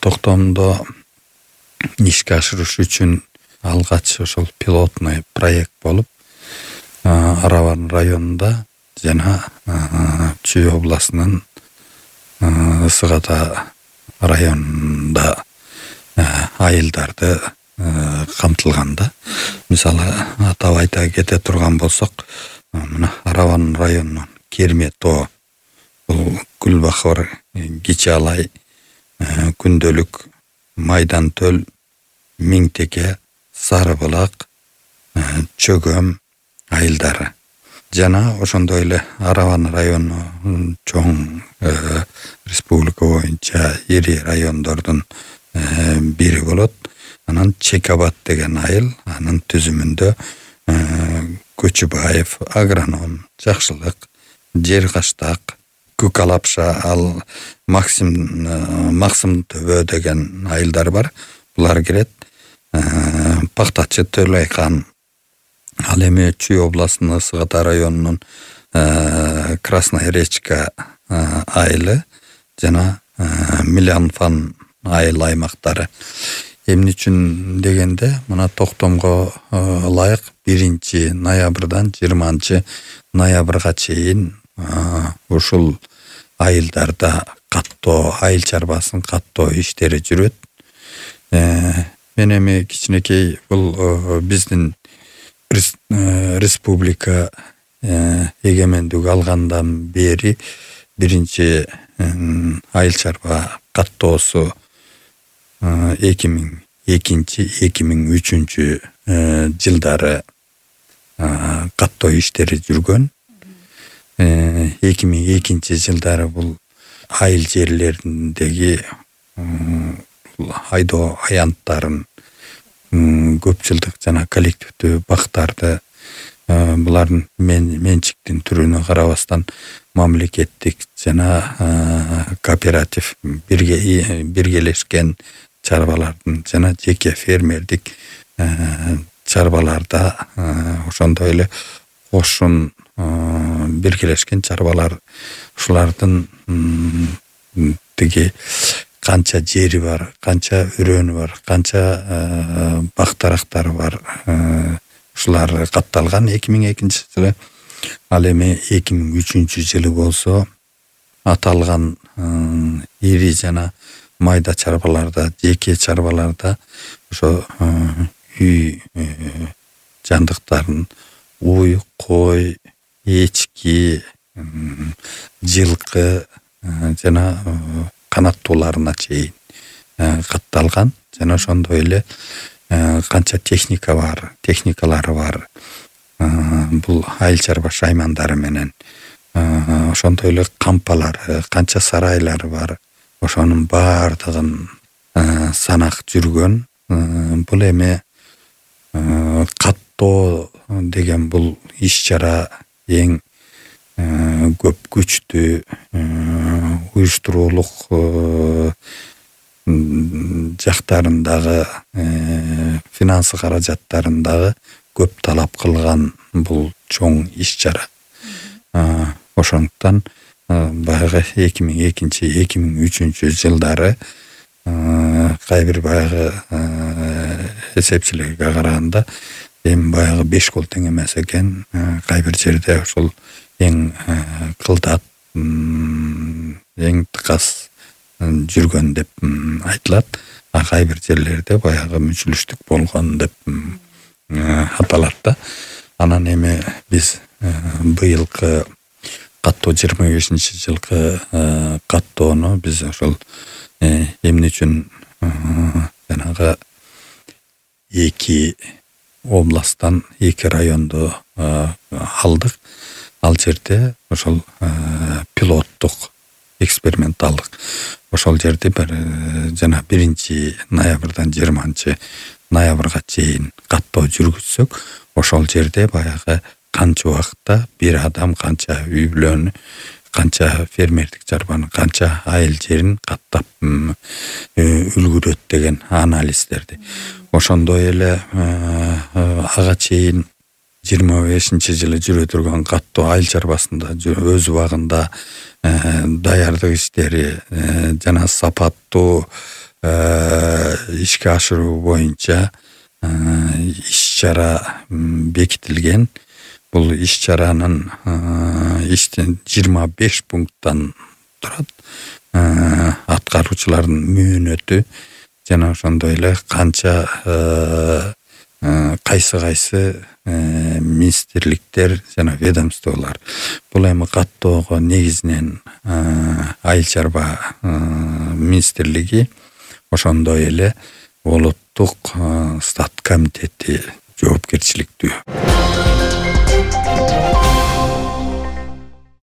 Токтомдо ишке ашырыш үчүн алгач ошол пилотный проект болуп, Араван районунда жана Чүй областынын Ысык Ата районунда айылдарды камтылганда. Мисалы атап айта кете турган болсок, мына Араван районунун Керме тоо, бул Гүлбахор, Кичи Алай, Күндөлүк, Майдан Төл, Миңтеке, Сары Булак, Чөгөм айылдары. Жана ошондой эле Араван району чоң республика боюнча ири райондордун бири болот. Анан Чекабат деген айыл, анын түзүмүндө Көчүбаев, Агроном, Жакшылык, Жер Каштак, Көк Алапша, ал Максым Төбө деген айылдар бар. Булар кирет. Пактачы Төлөйкан, ал эми Чүй областынын Ысык Ата районунун Красная Речка айылы жана Милянфан айыл аймактары. Эмне үчүн дегенде, мына Токтомго ылайык 1 ноябрдан 20 ноябрга чейин ушул айылдарда каттоо, айыл чарбасын каттоо иштери жүрөт. Мен эми кичинекей бул биздин республика эгемендик алгандан бери 1 айыл чарба каттоосу 2002-2003 жылдары каттоо иштери жүргөн. 2002 жылдары бул айыл жерлериндеги айдоо аянттарын, көпчүлдүк жана коллективдүү бактарды, булардын менчиктин түрүнө карабастан мамлекеттик жана кооператив биргелешкен чарбалардын жана жеке фермердик чарбаларда ошондой эле кошун биргелешкен чарбалар, ушулардын тиги канча жери бар, канча өрөөнү бар, канча бактарактары бар, ушулар катталган 2002 жылы. Ал эми 2003 жылы болсо аталган ири жана майда чарбаларда, жеке чарбаларда ошо үй жандыктарын уй, кой, эчки, жылкы жана канаттууларына чейин катталган. Жана ошондой эле канча техникалары бар. Бул айыл чарба шаймандары менен ошондой эле кампалары, канча сарайлары бар. Ошонун баардыгын санак жүргөн. Бул эми каттоо деген бул иш-чара эң көп күчтүү, уюштуруулук жактарындагы, финансы каражаттарындагы көп талап кылган бул чоң иш-чара. Ошондуктан баягы 2002-2003 жылдары кайбир баягы эсепчилерге караганда эми баягы 5 кол тең эмес экен. Кайбир жерде ошол эң кылдат, эң тыкас жүргөн деп айтылат. Кайбир жерлерде баягы мүчүлүштүк болгон деп аталат да. Анан эми биз быйылкы каттоо 25 жылкы каттоону биз ошол эмне үчүн жанагы 2 областтан 2 районду алдык. Ал жерде ошол пилоттук, эксперименталдык. Ошол жерде жана 1 ноябрдан 20 ноябрга чейин каттоо жүргүзсөк, ошол жерде баягы канча убакытта бир адам канча үй бүлөнү, канча фермердик чарбаны, канча айыл жерин каттап үлгүрөт деген анализдерди. Ошондой эле ага чейин 25 жылы жүрө турган каттоо айыл чарбасында өз убагында даярдык иштери жана сапаттуу ишке ашыруу боюнча иш-чара бекитилген. Бул иш-чаранын иштин 25 пункттан турат. Аткаруучулардын мөөнөтү жана ошондой эле канча кайсы министрликтер жана ведомстволор. Бул эми каттоого негизинен айыл чарба министрлиги, ошондой эле улуттук стат комитети жоопкерчиликтүү.